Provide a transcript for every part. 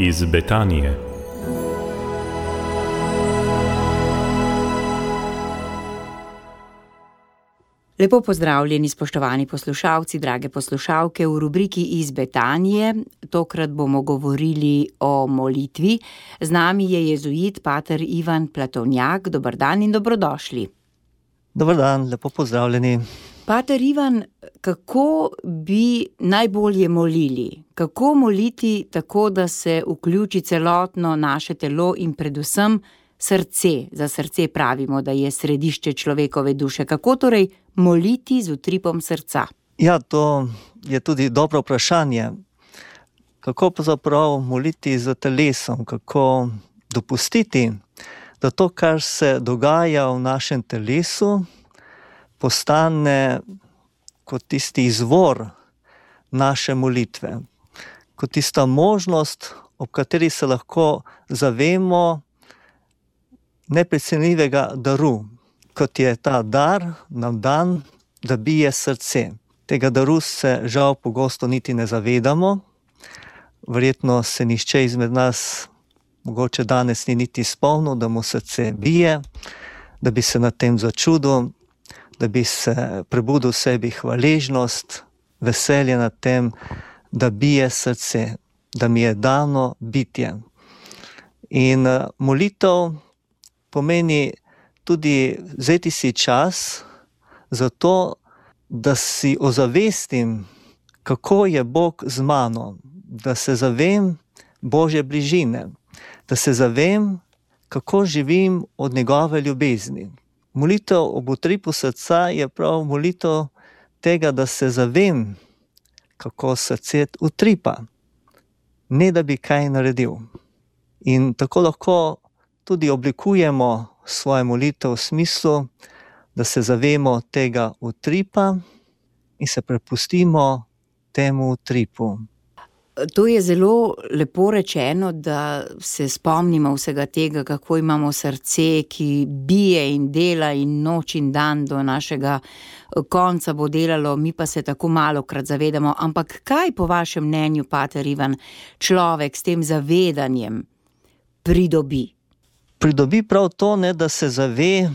iz Betanije. Lepo pozdravljeni, spoštovani poslušalci, drage poslušalke v rubriki Iz Betanije. Tokrat bomo govorili o molitvi. Z nami je jezuit pater Ivan Platovnjak. Dober dan in dobrodošli. Dober dan, lepo pozdravljeni. Pater Ivan, kako bi najbolje molili? Kako moliti tako, da se vključi celotno naše telo in predvsem srce? Za srce pravimo, da je središče človekove duše. Kako torej moliti z utripom srca? Ja, to je tudi dobro vprašanje. Kako pravzaprav moliti z telesom? Kako dopustiti, da to, kar se dogaja v našem telesu, postane kot tisti izvor naše molitve, kot tista možnost, ob kateri se lahko zavemo neprecenljivega daru, kot je ta dar nam dan, da bije srce. Tega daru se žal pogosto niti ne zavedamo. Verjetno se nihče izmed nas mogoče danes ni niti spomnil, da mu srce bije, da bi se nad tem začudil, da bi se prebudil v sebi hvaležnost, veselje nad tem, da bije srce, da mi je dano bitje. In molitev pomeni tudi vzeti si čas za to, da si ozavestim, kako je Bog z mano, da se zavem Božje bližine, da se zavem, kako živim od njegove ljubezni. Molitev ob utripu srca je prav molitev tega, da se zavem, kako srce utripa, ne da bi kaj naredil. In tako lahko tudi oblikujemo svojo molitev v smislu, da se zavemo tega utripa in se prepustimo temu utripu. To je zelo lepo rečeno, da se spomnimo vsega tega, kako imamo srce, ki bije in dela in noč in dan do našega konca bo delalo, mi pa se tako malokrat zavedamo. Ampak kaj po vašem mnenju, pater Ivan, človek s tem zavedanjem pridobi? Pridobi prav to, da se zave,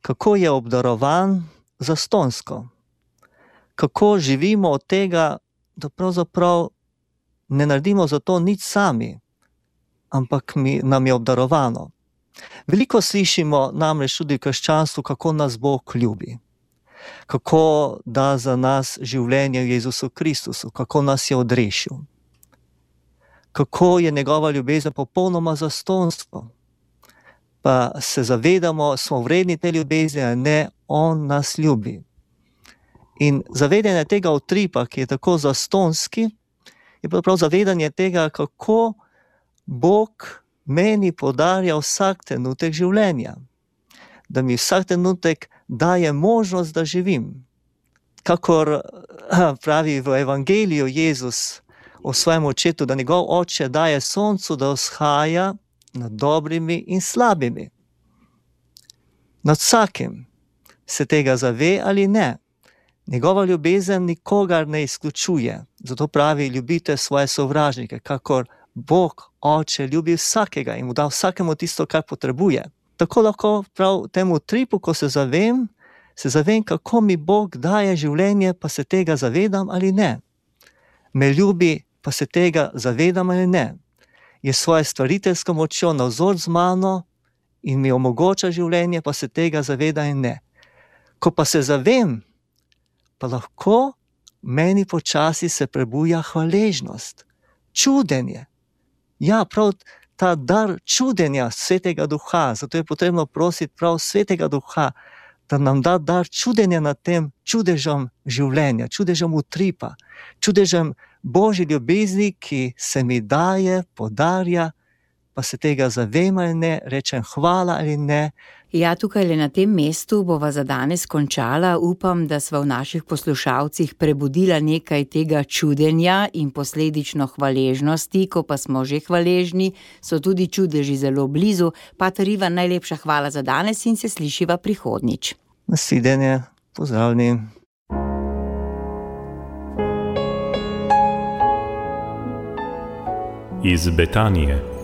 kako je obdarovan zastonjsko. Kako živimo od tega, da pravzaprav ne naredimo za to nič sami, ampak nam je obdarovano. Veliko slišimo namreč tudi v krščanstvu, kako nas Bog ljubi, kako da za nas življenje v Jezusu Kristusu, kako nas je odrešil, kako je njegova ljubezen popolnoma zastonjstvo. Pa se zavedamo, smo vredni te ljubezni, a ne, on nas ljubi. In zavedanje tega utripa, ki je tako zastonjski, je prav zavedanje tega, kako Bog meni podarja vsak trenutek življenja. Da mi vsak trenutek daje možnost, da živim. Kakor pravi v evangeliju Jezus o svojem očetu, da njegov oče daje soncu, da vzhaja nad dobrimi in slabimi. Nad vsakim se tega zave ali ne. Njegova ljubezen nikogar ne izključuje. Zato pravi, ljubite svoje sovražnike, kakor Bog oče ljubi vsakega in mu da vsakemu tisto, kar potrebuje. Tako lahko prav temu utripu, ko se zavem, kako mi Bog daje življenje, pa se tega zavedam ali ne. Me ljubi, pa se tega zavedam ali ne. Je svojo stvariteljsko močjo navzor z mano in mi omogoča življenje, pa se tega zaveda in ne. Ko pa se zavem, pa lahko meni počasi se prebuja hvaležnost, čudenje. Ja, prav ta dar čudenja Svetega Duha, zato je potrebno prositi prav Svetega Duha, da nam da dar čudenja nad tem čudežem življenja, čudežem utripa, čudežem Božje ljubezni, ki se mi daje, podarja, pa se tega zavem ali ne, rečem hvala ali ne. Ja, tukaj le na tem mestu bova za danes končala. Upam, da sva v naših poslušalcih prebudila nekaj tega čudenja in posledično hvaležnosti. Ko pa smo že hvaležni, so tudi čudeži zelo blizu. Pater Ivan, najlepša hvala za danes in se slišiva prihodnjič. Nasvidenje, pozdravljeni. iz Betanije.